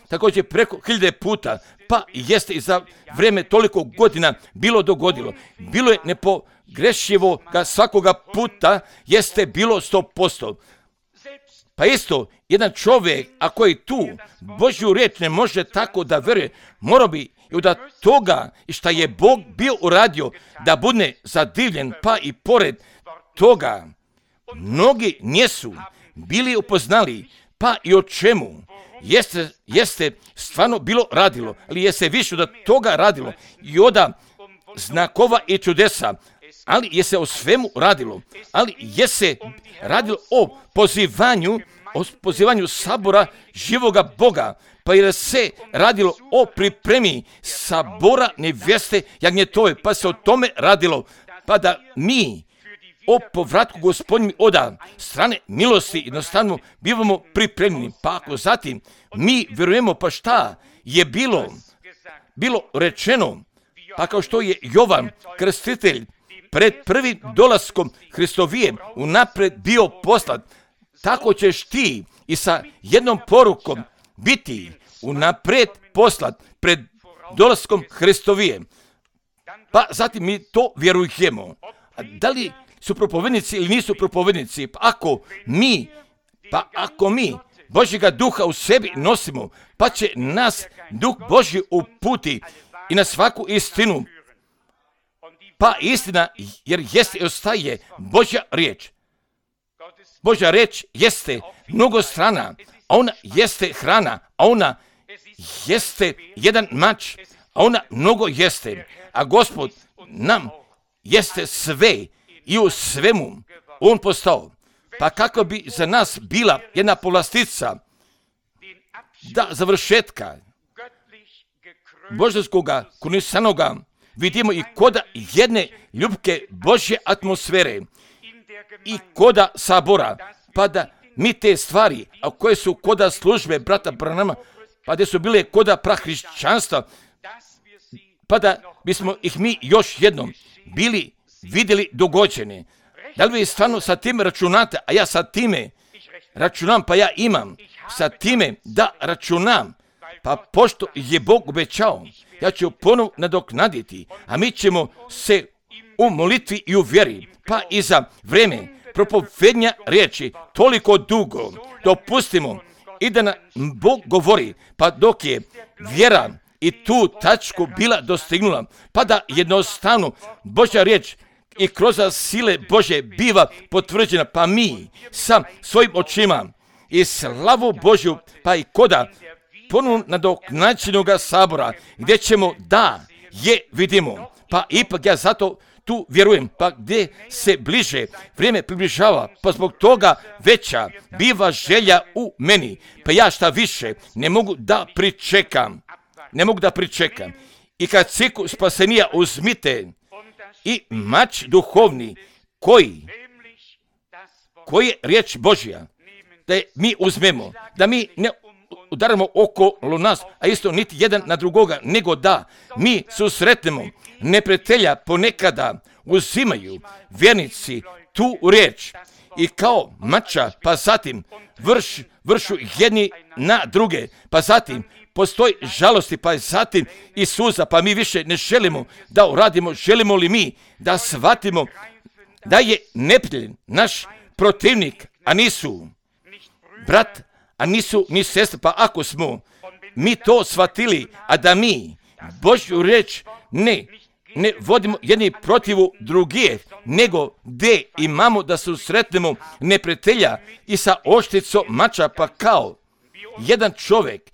također preko 1000 puta, pa jeste i za vrijeme toliko godina bilo dogodilo. Bilo je nepogrešivo ga svakoga puta, jeste bilo 100%. Pa isto, jedan čovjek, ako je tu, Božju riječ ne može tako da veruje, mora bi i da toga i šta je Bog bio uradio, da bude zadivljen, pa i pored toga, mnogi nisu bili upoznali, pa i o čemu jeste stvarno bilo radilo, ali je se više od toga radilo i od znakova i čudesa, ali je se o svemu radilo, ali je se radilo o pozivanju sabora živoga Boga, pa je se radilo o pripremi sabora nevjeste jagnjetove, pa se o tome radilo, pa da mi o povratku Gospodnjim od strane milosti jednostavno bivamo pripremljeni. Pa ako zatim mi vjerujemo, pa šta je bilo rečeno, pa kao što je Jovan Krstitelj pred prvim dolaskom Hristovijem unaprijed bio poslat, tako ćeš ti i sa jednom porukom biti unaprijed poslat pred dolaskom Hristovijem. Pa zatim mi to vjerujemo. A da li su propovednici ili nisu propovednici? Pa ako mi Božjega duha u sebi nosimo, pa će nas duh Božji uputi i na svaku istinu. Pa istina, jer jeste i ostaje Božja riječ. Božja riječ jeste mnogostrana, a ona jeste hrana, a ona jeste jedan mač, a ona mnogo jeste. A Gospod nam jeste sve i u svemu on postao. Pa kako bi za nas bila jedna povlastica da završetka božanskoga kunisanoga vidimo i koda jedne ljubke Božje atmosfere i koda sabora, pa da mi te stvari, a koje su koda službe brata Branhama, pa da su bile koda prahrišćanstva, pa da bismo ih mi još jednom bili vidjeli dogođene. Da li vi stvarno sa tim računate, a ja sa time računam, pa ja imam sa time da računam, pa pošto je Bog obećao, ja ću ponovo nadoknaditi, a mi ćemo se u molitvi i u vjeri, pa i za vrijeme propovednja riječi toliko dugo dopustimo i da nam Bog govori, pa dok je vjera i tu tačku bila dostignula, pa da jednostavno Božja riječ i kroz sile Božje biva potvrđena, pa mi sa svojim očima i slavu Božju, pa i koda ponovno nadoknađenoga sabora, gdje ćemo da je vidimo, pa ipak ja zato tu vjerujem, pa gdje se bliže vrijeme približava, pa zbog toga veća biva želja u meni, pa ja šta više ne mogu da pričekam. I kad ciku spasenija uzmite i mač duhovni, koji je riječ Božja, da je mi uzmemo, da mi ne udaramo okolo nas, a isto niti jedan na drugoga, nego da mi susretnemo neprijatelja. Ponekada uzimaju vjernici tu riječ i kao mača, pa zatim vršu jedni na druge, pa zatim postoji žalosti, pa zatim i suza, pa mi više ne želimo da uradimo. Želimo li mi da shvatimo da je neprijatelj naš protivnik, a nisu brat, a nisu ni sestra? Pa ako smo mi to shvatili, a da mi Božju riječ ne vodimo jedni protiv drugih, nego gdje imamo da susretnemo neprijatelja i sa oštricom mača, pa kao jedan čovjek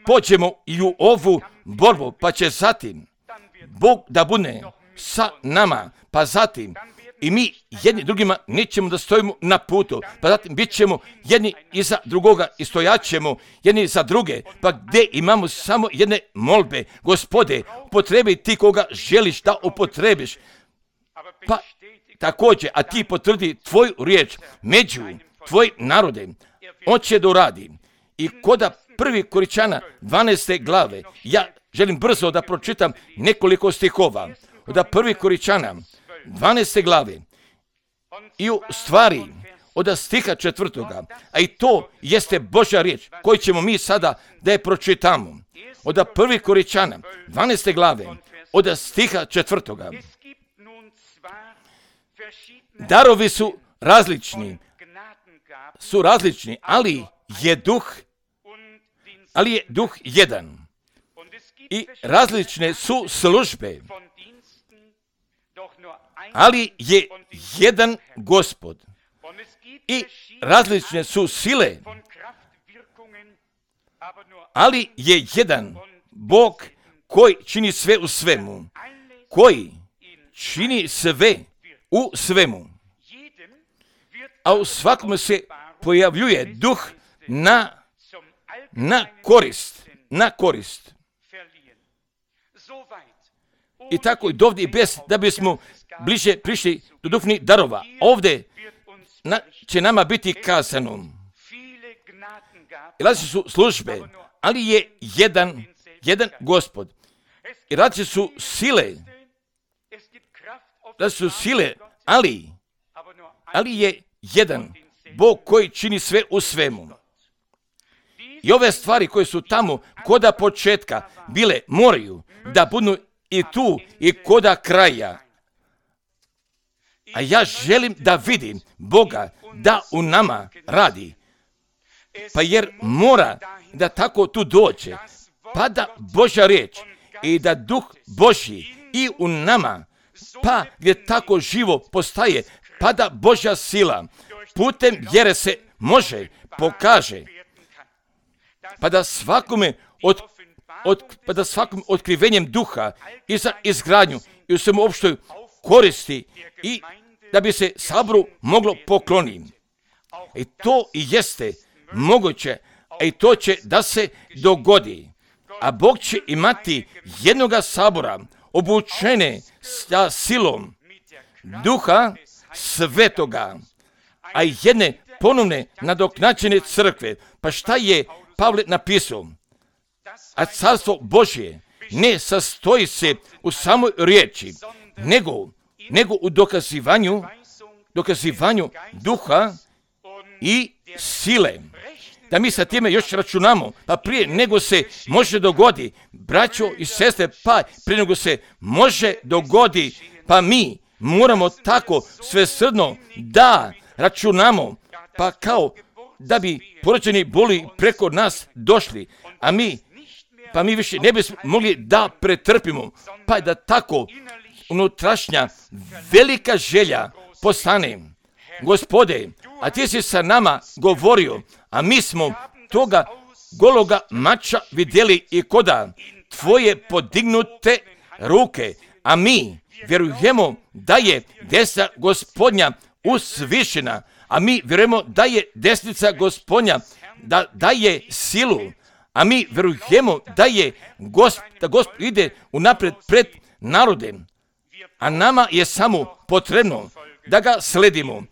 pođemo i u ovu borbu, pa će zatim Bog da bude sa nama, pa zatim i mi jedni drugima nećemo da stojimo na putu, pa zatim bit ćemo jedni iza drugoga i stojat ćemo jedni za druge, pa gdje imamo samo jedne molbe, Gospode, upotrebi ti koga želiš da upotrebiš, pa također, a ti potvrdi tvoju riječ među tvoj narode, on će da uradi. I koda 1. Koričana 12. glave, ja želim brzo da pročitam nekoliko stihova, od 1. Koričana 12. glave, i u stvari od stiha 4. A i to jeste Božja riječ koju ćemo mi sada da je pročitamo. Od 1. Koričana 12. glave, od stiha 4. Darovi su različni, ali je duh jedan. I različne su službe, ali je jedan Gospod. I različne su sile, ali je jedan Bog koji čini sve u svemu. Koji čini sve u svemu. A u svakom se pojavljuje duh na korist. I tako i dovdje bez da bismo bliže prišli do duhovnih darova. Ovdje će nama biti kazano. I različite su službe, ali je jedan Gospod. I različite su sile, ali je jedan Bog koji čini sve u svemu. I ove stvari koje su tamo koda početka bile moraju da budu i tu i koda kraja. A ja želim da vidim Boga da u nama radi. Pa jer mora da tako tu dođe, pa da Božja riječ i da Duh Božji i u nama, pa gdje tako živo postaje, pa da Božja sila putem vjere se pokaže, pa da svakome otkrivenjem duha i za izgradnju i u svemu opštoj koristi i da bi se saboru moglo pokloniti. I to i jeste moguće, a i to će da se dogodi. A Bog će imati jednoga sabora obučene sa silom Duha Svetoga, a jedne ponovne nadoknađene crkve. Pa šta je Pavle napisao? A carstvo Božje ne sastoji se u samoj riječi, nego u dokazivanju duha i sile. Da mi sa time još računamo, pa prije nego se može dogodi, braćo i sestre, pa prije nego se može dogodi, pa mi moramo tako svesrdno da računamo, pa kao da bi porođeni boli preko nas došli, a mi više ne bismo mogli da pretrpimo, pa da tako unutrašnja velika želja postane. Gospode, a ti si sa nama govorio, a mi smo toga gologa mača vidjeli i koda tvoje podignute ruke, a mi vjerujemo da je desna Gospodnja usvišena, a mi vjerujemo da je desnica Gospodnja da daje silu, a mi vjerujemo da je da Gospod ide unapred pred narodem, a nama je samo potrebno da ga sledimo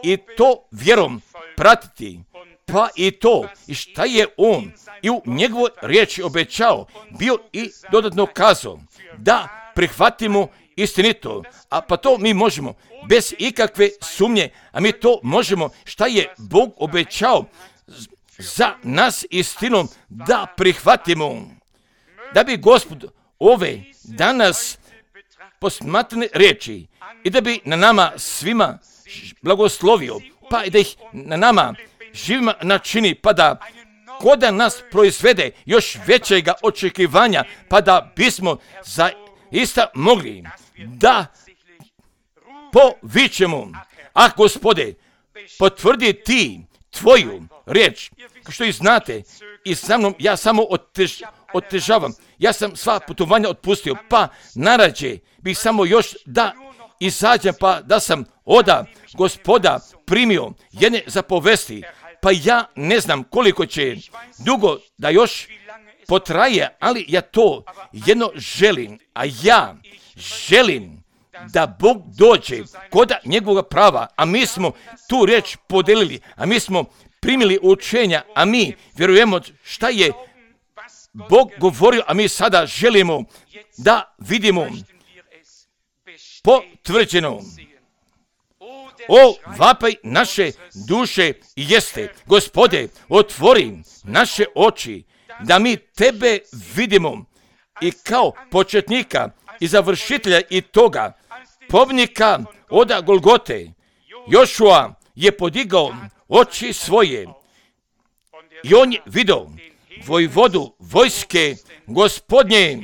i to vjerom pratiti, pa i to i šta je on i u njegovoj riječi obećao, bio i dodatno kazao, da prihvatimo istinito, a pa to mi možemo bez ikakve sumnje, a mi to možemo šta je Bog obećao za nas istinom da prihvatimo, da bi Gospod ove danas posmatrane riječi i da bi na nama svima blagoslovio, pa i da ih na nama živima načini, pa da koda nas proizvede još većega očekivanja, pa da bismo zaista mogli da povičemo, a Gospode, potvrdi ti tvoju riječ, kao što i znate, i sa mnom ja samo otežavam, ja sam sva putovanja otpustio, pa narađe bih samo još da izađem pa da sam oda Gospoda primio jedne zapovesti, pa ja ne znam koliko će dugo da još potraje, ali ja to jedno želim, a ja želim da Bog dođe kod njegovog prava, a mi smo tu riječ podelili, a mi smo primili učenja, a mi vjerujemo šta je Bog govorio, a mi sada želimo da vidimo potvrđeno. O, vapaj naše duše jeste, Gospode, otvori naše oči, da mi tebe vidimo i kao početnika i završitelja i toga pobjednika od Golgote. Jošua je podigao oči svoje i on je vidio vojvodu vojske Gospodnje.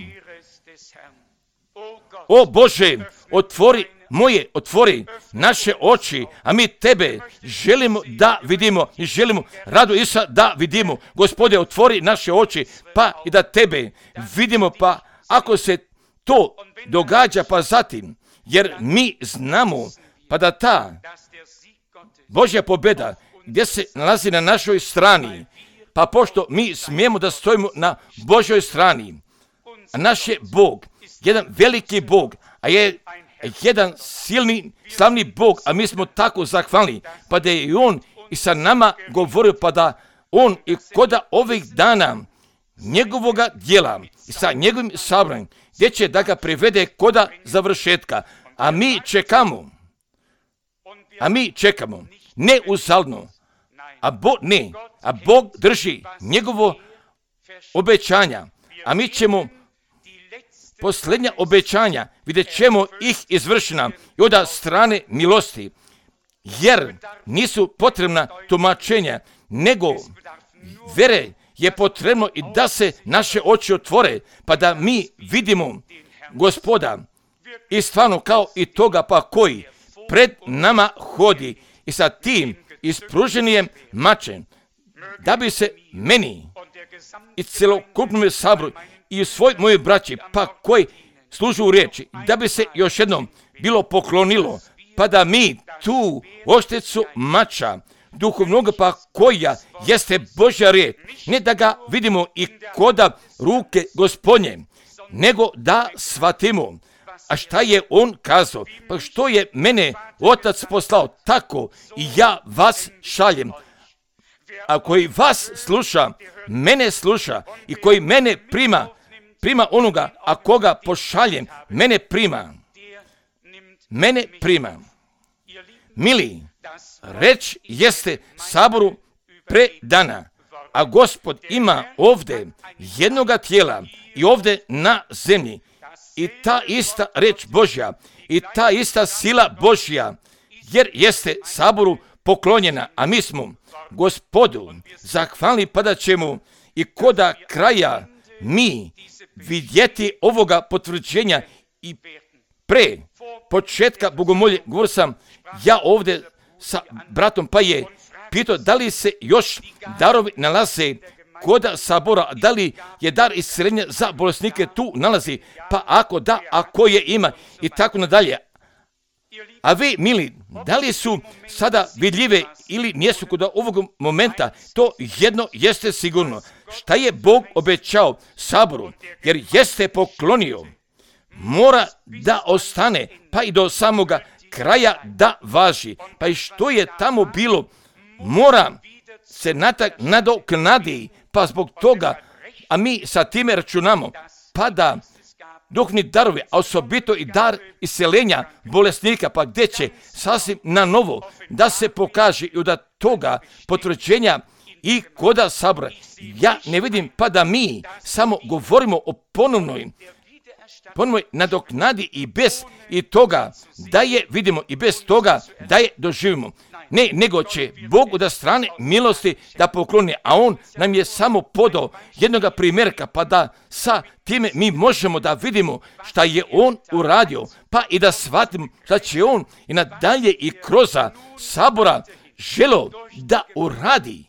O Bože, otvori naše oči, a mi tebe želimo da vidimo i želimo radu Isusa da vidimo. Gospode, otvori naše oči, pa i da tebe vidimo, pa ako se to događa, pa zatim, jer mi znamo, pa da ta Božja pobjeda gdje se nalazi na našoj strani, pa pošto mi smijemo da stojimo na Božjoj strani, a naš je Bog, jedan veliki Bog, a je jedan silni, slavni Bog, a mi smo tako zahvalni, pa da je i On i sa nama govorio, pa da On i koda ovih dana njegovoga djela i sa njegovim sabranjem, gdje će da ga privede koda završetka, a mi čekamo, ne uzalno, a Bog drži njegovo obećanja, a mi ćemo posljednja obećanja, vidjet ćemo ih izvršena i od strane milosti, jer nisu potrebna tumačenja, nego vere je potrebno i da se naše oči otvore, pa da mi vidimo Gospoda i stvarno kao i toga pa koji pred nama hodi i sa tim ispruženijem mačem, da bi se meni i celokupnom saboru i svoj mojoj braći, pa koji služu u riječi, da bi se još jednom bilo poklonilo, pa da mi tu oštricu mača duhovnog, pa koja jeste Božja riječ, ne da ga vidimo i koda ruke Gospodnje, nego da shvatimo, a šta je on kazao, pa što je mene Otac poslao, tako i ja vas šaljem. A koji vas sluša, mene sluša, i koji mene prima onoga, a koga pošaljem, mene prima. Mili, reč jeste saboru predana, a Gospod ima ovdje jednoga tijela i ovdje na zemlji, i ta ista reč Božja i ta ista sila Božja, jer jeste saboru poklonjena, a mi smo Gospodu zahvalni, pa da ćemo i koda kraja mi vidjeti ovoga potvrđenja. I pre početka bogomolje govorio sam ja ovdje sa bratom, pa je pitao da li se još darovi nalaze koda sabora, da li je dar isceljenja za bolesnike tu nalazi, pa ako da, ako je ima i tako nadalje. A vi, mili, da li su sada vidljive ili nijesu kod ovog momenta, to jedno jeste sigurno. Šta je Bog obećao saboru, jer jeste poklonio, mora da ostane, pa i do samoga kraja da važi. Pa i što je tamo bilo, mora se nadoknadi, pa zbog toga, a mi sa time računamo, pa da duhovni darovi, a osobito i dar isceljenja bolesnika, pa gdje će sasvim na novo da se pokaže i od toga potvrđenja i koda sabora. Ja ne vidim pa da mi samo govorimo o ponovnoj nadoknadi i bez i toga da je vidimo i bez toga da je doživimo. Ne, nego će Bog od strane milosti da pokloni, a On nam je samo podao jednoga primjerka, pa da sa time mi možemo da vidimo šta je On uradio, pa i da shvatimo šta će On i nadalje i kroz sabora želo da uradi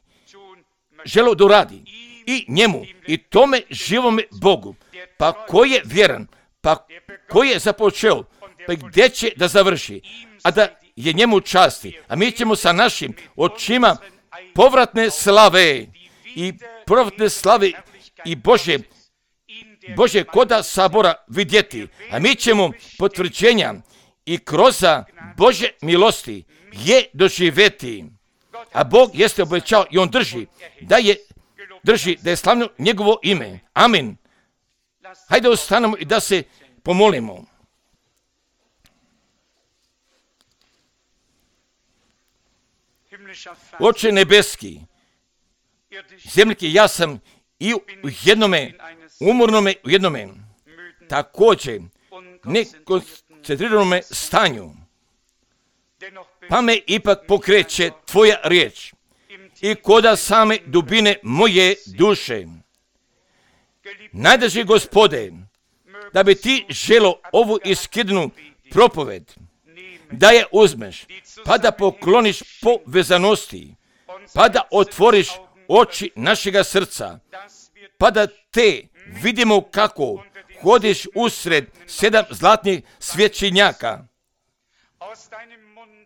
i njemu i tome živome Bogu, pa ko je vjeran, pa ko je započeo pa gdje će da završi, a da je njemu časti. A mi ćemo sa našim očima povratne slave i Bože koda sabora vidjeti. A mi ćemo potvrđenja i kroz Bože milosti je doživjeti. A Bog jeste obećao i on drži da je slavno njegovo ime. Amin. Hajde ostanemo i da se pomolimo. Oče nebeski, zemljski, ja sam i u jednome, umornome u jednome, također nekoncentriranome stanju, pa me ipak pokreće tvoja riječ i koda same dubine moje duše. Najdraži Gospode, da bi ti želo ovu iskidnu propoved, da je uzmeš, pa da pokloniš povezanosti, pa da otvoriš oči našega srca, pa da te vidimo kako hodiš usred 7 zlatnih svjećenjaka.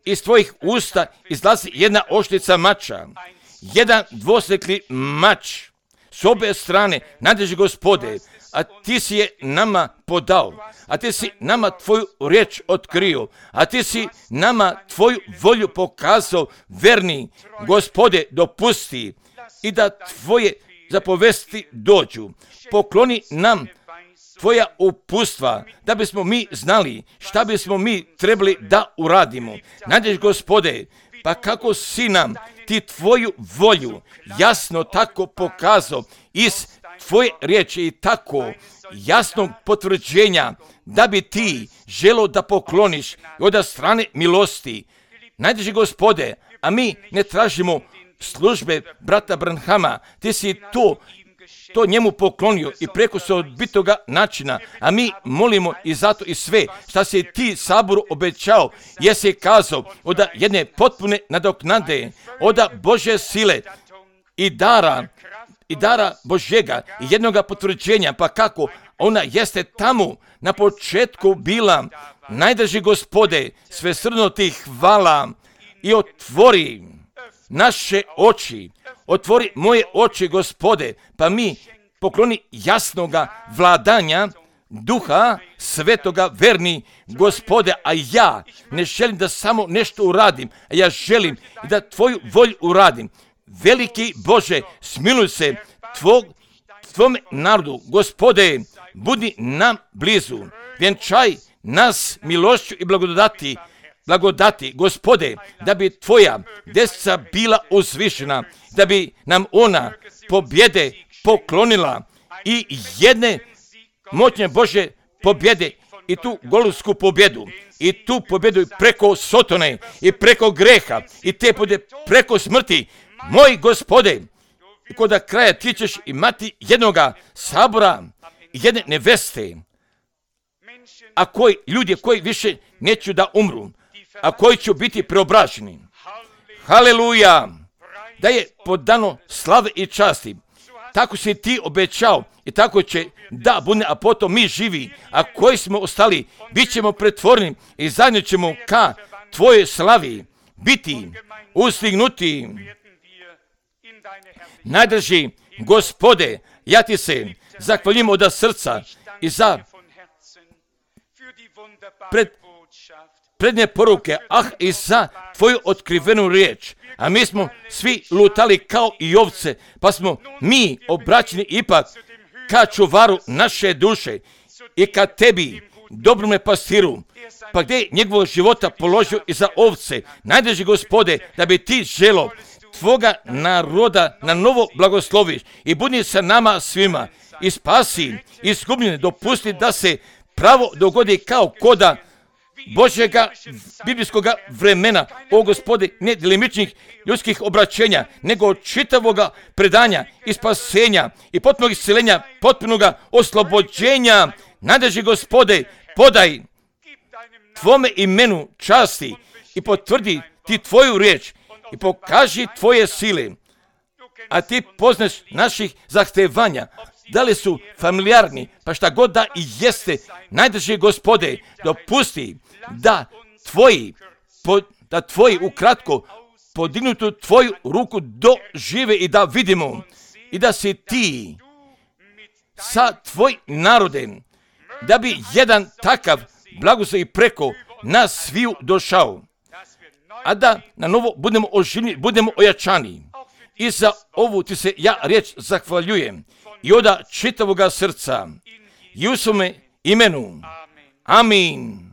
Iz tvojih usta izlazi jedna oštrica mača, jedan dvosjekli mač s obje strane, najdraži Gospode, a ti si je nama podao, a ti si nama tvoju riječ otkrio, a ti si nama tvoju volju pokazao, verni Gospode, dopusti i da tvoje zapovesti dođu. Pokloni nam tvoja upustva, da bismo mi znali šta bismo mi trebali da uradimo. Najdraži Gospode, pa kako si nam ti tvoju volju jasno tako pokazao iz tvoje riječi i tako jasnog potvrđenja da bi ti želo da pokloniš od strane milosti. Najdraži Gospode, a mi ne tražimo službe brata Branhama, ti si to njemu poklonio i preko osobitoga načina, a mi molimo i zato i sve šta si ti saboru obećao, jesi kazao od jedne potpune nadoknade, od Bože sile i dara Božjega i jednoga potvrđenja, pa kako ona jeste tamo na početku bila. Najdraži Gospode, svesrdno ti hvala i otvori naše oči, otvori moje oči, Gospode, pa mi pokloni jasnoga vladanja Duha Svetoga, verni Gospode, a ja ne želim da samo nešto uradim, a ja želim da tvoju volju uradim. Veliki Bože, smiluj se tvome narodu, Gospode, budi nam blizu, vjenčaj nas milošću i blagodati, Gospode, da bi tvoja desnica bila uzvišena, da bi nam ona pobjede poklonila i jedne moćne Bože pobjede i tu golubsku pobjedu i tu pobjedu preko Sotone i preko greha i te pobjede preko smrti. Moj Gospode, i kod kraja ti ćeš imati jednoga sabora i jedne neveste, a ljudi koji više neću da umru, a koji će biti preobraženi. Haleluja! Da je podano slave i časti. Tako si ti obećao i tako će da bude, a potom mi živi, a koji smo ostali, bit ćemo pretvoreni i zajedno ćemo ka tvojoj slavi biti ustignuti. Najdraži Gospode, ja ti se zahvaljujem od srca i za prednje poruke, i za tvoju otkrivenu riječ. A mi smo svi lutali kao i ovce, pa smo mi obraćeni ipak ka čuvaru naše duše i ka tebi, dobrome pastiru, pa gdje je njegovog života položio i za ovce. Najdraži Gospode, da bi ti želo tvoga naroda na novo blagosloviš i budi sa nama svima i spasi izgubljene, dopusti da se pravo dogodi kao koda Božjega biblijskoga vremena, o Gospode, ne delimičnih ljudskih obraćenja, nego čitavoga predanja i spasenja i potpunog isceljenja, potpunoga oslobođenja. Najdraži Gospode, podaj tvome imenu časti i potvrdi ti tvoju riječ i pokaži tvoje sile, a ti poznaš naših zahtevanja, da li su familijarni, pa šta god da i jeste. Najdraži Gospode, dopusti da tvoji ukratko podignutu tvoju ruku dožive i da vidimo i da si ti sa tvojim narodem, da bi jedan takav blagoslov preko nas sviju došao, a da na novo budemo oživljeni, budemo ojačani. I za ovu ti se ja riječ zahvaljujem i od čitavoga srca i u svome imenu. Amin.